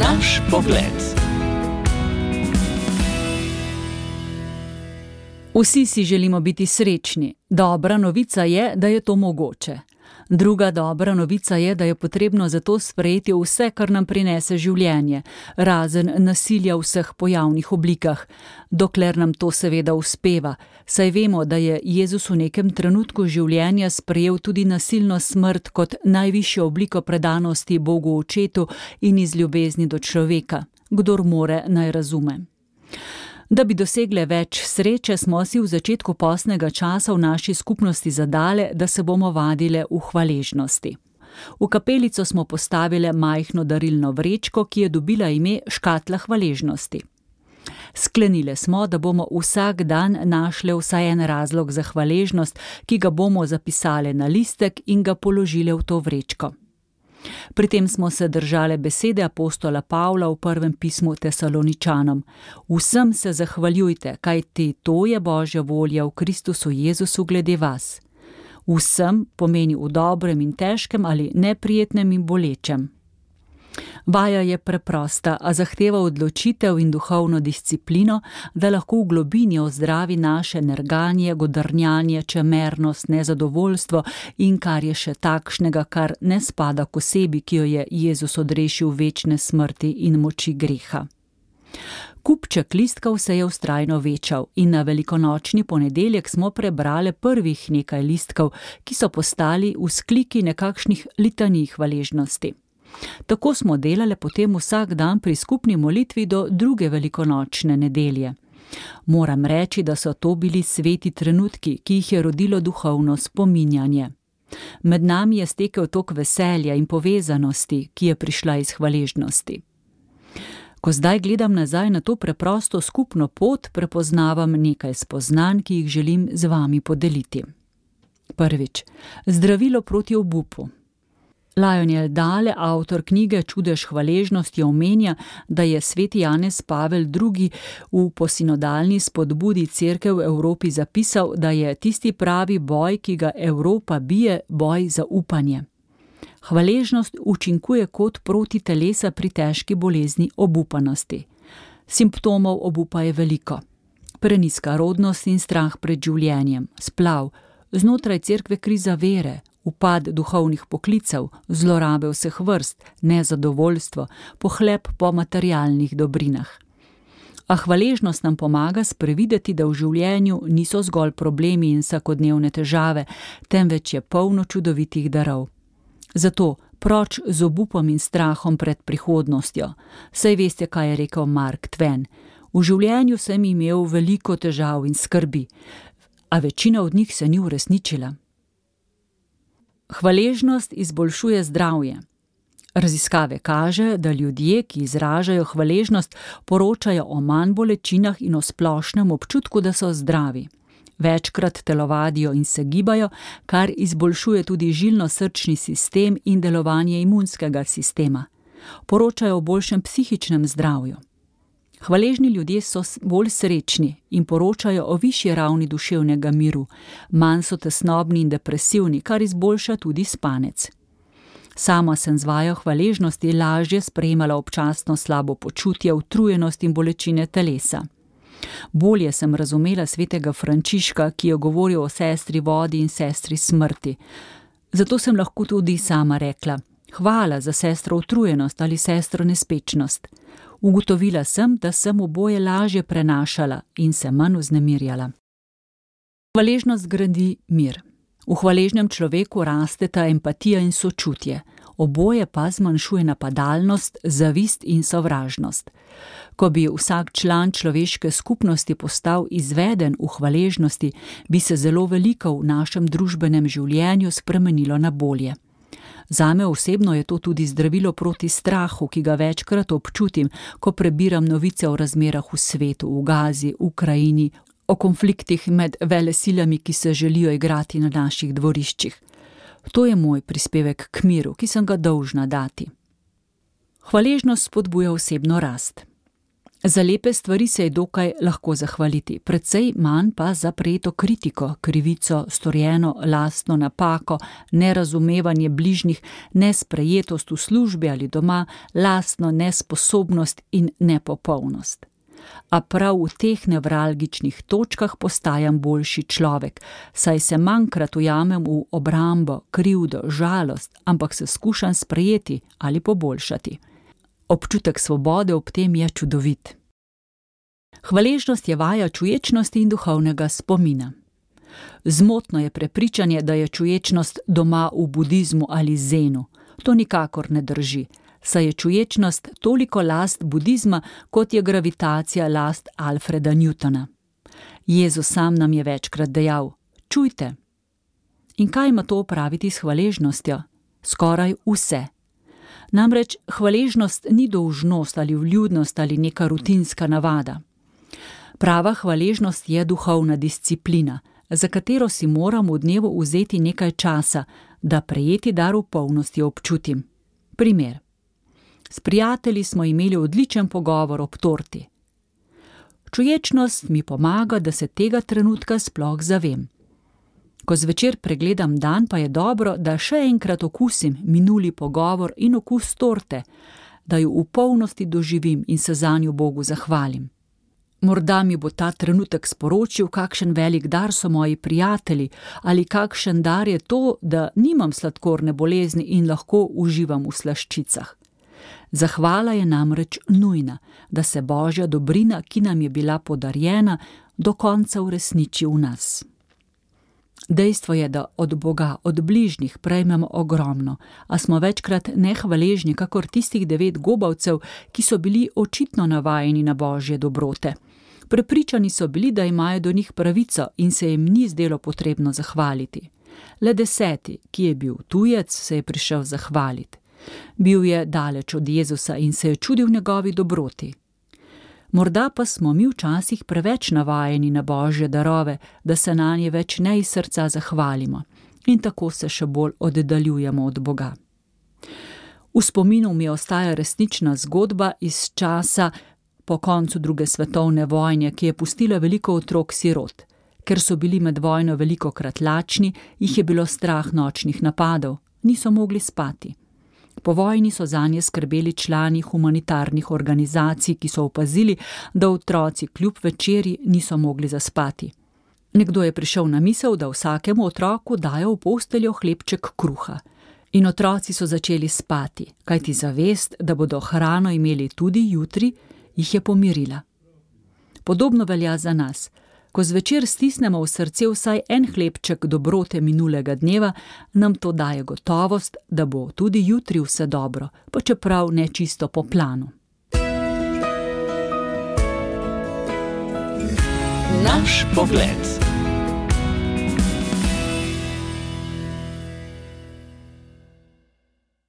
Naš pogled. Vsi si želimo biti srečni. Dobra novica je, da je to mogoče. Druga dobra novica je, da je potrebno zato sprejeti vse, kar nam prinese življenje, razen nasilja v vseh pojavnih oblikah, dokler nam to seveda uspeva, saj vemo, da je Jezus v nekem trenutku življenja sprejel tudi nasilno smrt kot najvišjo obliko predanosti Bogu Očetu in iz ljubezni do človeka. Kdor more, naj razume. Da bi dosegle več sreče, smo si v začetku postnega časa v naši skupnosti zadale, da se bomo vadile v hvaležnosti. V kapelico smo postavile majhno darilno vrečko, ki je dobila ime Škatla hvaležnosti. Sklenile smo, da bomo vsak dan našle vsaj en razlog za hvaležnost, ki ga bomo zapisale na listek in ga položile v to vrečko. Pri tem smo se držale besede apostola Pavla v prvem pismu Tesaloničanom. Vsem se zahvaljujte, kajti to je Božja volja v Kristusu Jezusu glede vas. Vsem pomeni v dobrem in težkem ali neprijetnem in bolečem. Vaja je preprosta, a zahteva odločitev in duhovno disciplino, da lahko v globini ozdravi naše nerganje, godrnjanje, čemernost, nezadovoljstvo in kar je še takšnega, kar ne spada k osebi, ki jo je Jezus odrešil večne smrti in moči greha. Kupček listkov se je vztrajno večal in na velikonočni ponedeljek smo prebrale prvih nekaj listkov, ki so postali vzkliki nekakšnih litanij hvaležnosti. Tako smo delale potem vsak dan pri skupni molitvi do druge velikonočne nedelje. Moram reči, da so to bili sveti trenutki, ki jih je rodilo duhovno spominjanje. Med nami je stekel tok veselja in povezanosti, ki je prišla iz hvaležnosti. Ko zdaj gledam nazaj na to preprosto skupno pot, prepoznavam nekaj spoznanj, ki jih želim z vami podeliti. Prvič, zdravilo proti obupu. Lionel Dale, avtor knjige Čudež hvaležnosti, omenja, da je sveti Janez Pavel II. V posinodalni spodbudi Cerkev v Evropi zapisal, da je tisti pravi boj, ki ga Evropa bije, boj za upanje. Hvaležnost učinkuje kot proti telesa pri težki bolezni obupanosti. Simptomov obupa je veliko. Prenizka rodnost in strah pred življenjem, splav, znotraj cerkve kriza vere, upad duhovnih poklicev, zlorabe vseh vrst, nezadovoljstvo, pohlep po materialnih dobrinah. A hvaležnost nam pomaga sprevideti, da v življenju niso zgolj problemi in vsakodnevne težave, temveč je polno čudovitih darov. Zato proč z obupom in strahom pred prihodnostjo. Saj veste, kaj je rekel Mark Twain. V življenju sem imel veliko težav in skrbi, a večina od njih se ni uresničila. Hvaležnost izboljšuje zdravje. Raziskave kaže, da ljudje, ki izražajo hvaležnost, poročajo o manj bolečinah in o splošnem občutku, da so zdravi. Večkrat telovadijo in se gibajo, kar izboljšuje tudi žilno-srčni sistem in delovanje imunskega sistema. Poročajo o boljšem psihičnem zdravju. Hvaležni ljudje so bolj srečni in poročajo o višji ravni duševnega miru, manj so tesnobni in depresivni, kar izboljša tudi spanec. Sama sem z vajo hvaležnosti lažje sprejemala občasno slabo počutje, utrujenost in bolečine telesa. Bolje sem razumela svetega Frančiška, ki je govoril o sestri vodi in sestri smrti. Zato sem lahko tudi sama rekla: hvala za sestro utrujenost ali sestro nespečnost. Ugotovila sem, da sem oboje lažje prenašala in se manj vznemirjala. Hvaležnost gradi mir. V hvaležnem človeku rasteta empatija in sočutje. Oboje pa zmanjšuje napadalnost, zavist in sovražnost. Ko bi vsak član človeške skupnosti postal izveden v hvaležnosti, bi se zelo veliko v našem družbenem življenju spremenilo na bolje. Zame osebno je to tudi zdravilo proti strahu, ki ga večkrat občutim, ko prebiram novice o razmerah v svetu, v Gazi, Ukrajini, o konfliktih med velesilami, ki se želijo igrati na naših dvoriščih. To je moj prispevek k miru, ki sem ga dolžna dati. Hvaležnost spodbuja osebno rast. Za lepe stvari se je dokaj lahko zahvaliti, precej manj pa za prejeto kritiko, krivico, storjeno lastno napako, nerazumevanje bližnjih, nesprejetost v službi ali doma, lastno nesposobnost in nepopolnost. A prav v teh nevralgičnih točkah postajam boljši človek, saj se manjkrat ujamem v obrambo, krivdo, žalost, ampak se skušam sprejeti ali poboljšati. Občutek svobode ob tem je čudovit. Hvaležnost je vaja čuječnosti in duhovnega spomina. Zmotno je prepričanje, da je čuječnost doma v budizmu ali zenu. To nikakor ne drži, saj je čuječnost toliko last budizma, kot je gravitacija last Alfreda Newtona. Jezus sam nam je večkrat dejal: čujte. In kaj ima to opraviti s hvaležnostjo? Skoraj vse. Namreč hvaležnost ni dolžnost ali vljudnost ali neka rutinska navada. Prava hvaležnost je duhovna disciplina, za katero si moram v dnevu vzeti nekaj časa, da prejeti dar v polnosti občutim. Primer. S prijatelji smo imeli odličen pogovor ob torti. Čuječnost mi pomaga, da se tega trenutka sploh zavem. Ko zvečer pregledam dan, pa je dobro, da še enkrat okusim minuli pogovor in okus torte, da jo v polnosti doživim in se zanjo Bogu zahvalim. Morda mi bo ta trenutek sporočil, kakšen velik dar so moji prijatelji, ali kakšen dar je to, da nimam sladkorne bolezni in lahko uživam v slaščicah. Zahvala je namreč nujna, da se Božja dobrina, ki nam je bila podarjena, do konca uresniči v nas. Dejstvo je, da od Boga, od bližnjih prejmemo ogromno, a smo večkrat nehvaležni kakor tistih 9 gobavcev, ki so bili očitno navajeni na Božje dobrote. Prepričani so bili, da imajo do njih pravico in se jim ni zdelo potrebno zahvaliti. Le 10., ki je bil tujec, se je prišel zahvaliti. Bil je daleč od Jezusa in se je čudil njegovi dobroti. Morda pa smo mi včasih preveč navajeni na Božje darove, da se nanje več ne iz srca zahvalimo in tako se še bolj oddaljujemo od Boga. V spominu mi ostaja resnična zgodba iz časa po koncu 2. svetovne vojne, ki je pustila veliko otrok sirot. Ker so bili med vojno velikokrat lačni, jih je bilo strah nočnih napadov, niso mogli spati. Po vojni so zanje skrbeli člani humanitarnih organizacij, ki so opazili, da otroci kljub večerji niso mogli zaspati. Nekdo je prišel na misel, da vsakemu otroku dajo v posteljo hlebček kruha. In otroci so začeli spati, kajti zavest, da bodo hrano imeli tudi jutri, jih je pomirila. Podobno velja za nas. Ko zvečer stisnemo v srce vsaj en hlebček dobrote minulega dneva, nam to daje gotovost, da bo tudi jutri vse dobro, pa čeprav ne čisto po planu. Naš pogled.